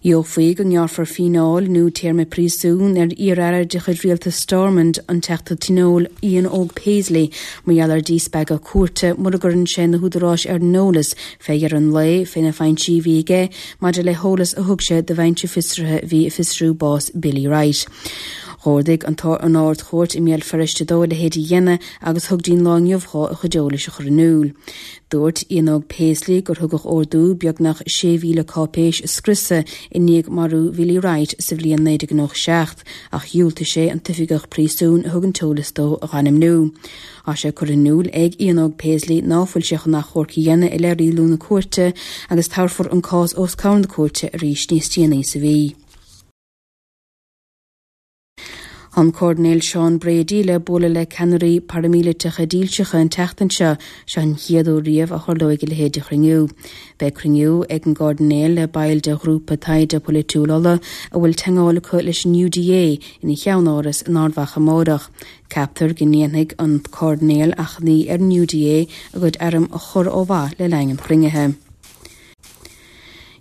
Gheofaí go ngearrfar fíneáil nó téarma príosúin ar iar-aire de chuid rialtas Stormont, an Teachta Tionóil Ian Óg Paisley, mar gheall ar dhíspeagadh cúirte mura gcuireann sé na húdaráis ar an eolas fé dheireadh an lae fé na foinsí a bhí aige maidir le heolas a thug sé do bhinse fiosraithe a bhí ag fiosrú bás Billy Wright. Dh'ordaigh an Ard-Chúirt i mBéal Feirste dó a leithéid a dhéanamh agus thug dtí'n lá inniu dhó a chuid eolais a chur in iúl. Dúirt Ian Óg Paisley gur thugadh ordú beagnach 6,000 cáipéis a scriosadh i ndiaidh marú Bhilly Wright sa bhliain 1997 ach dhiúltaigh sé an t-oifigeach príosúin a thug an t-eolas dó a dh'ainmniú. Tá sé curtha in iúl ag Ian Óg Paisley ná fuil sé chun achomharc a dhéanamh i leith rialú na cúirte agus tabharfar an cás os comhair na cúirte arís níos déanaí sa mhí. Tá an Cairdinéal Seán Brady le bualadh le ceannairí paraimíliteacha dílseacha an tseachtain seo. Seo an chéad uair riamh a tharlóidh a leithéid de chruinniú. Beidh cruinniú ag an gCairdinéal le baill de Ghrúpa Taighde Polaitiúil Uladh a bhfuil teagmháil acu leis an UDA ina cheann-áras in Ard Mhacha amárach. Ceaptar go ndéanfaidh an Cairdinéal achainí ar an UDA a gcuid airm a chur ó mhaith le linn an chruinnithe.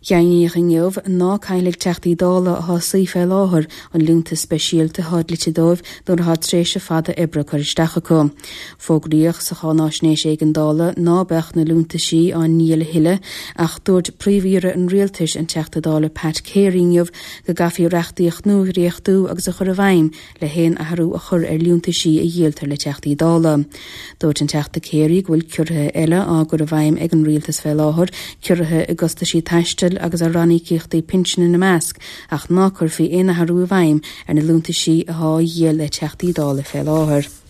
Deimhníodh inniu ná caillfidh Teachtaí Dála atá ag suí fé láthair an liúntas speisialta atá dlite dóibh nuair atá tréimhse fada oibre curtha isteach acu. Fógraíodh sa cháináisnéis éigeandála ná beadh na liúntaisí á ndíol a thuilleadh ach dúirt Príomh-Aoire an Rialtais, an Teachta Dála Pat Carey inniu go gcaithfí reachtaíocht nua a dhréachtú agus a chur i bhfeidhm le haon athrú a chur ar liúntaisí a dhíoltar le Teachtaí Dála. Dúirt an Teachta Carey go bhfuil ciorruithe eile á gcur i bhfeidhm ag an Rialtas fé láthair, ciorruithe i gcostaisí taistil agus ar ranníocaíochtaí pinsin ina measc, ach ná cuirfí aon athrú i bhfeidhm ar na liúntaisí athá á dhíol le Teachtaí Dála fé láthair.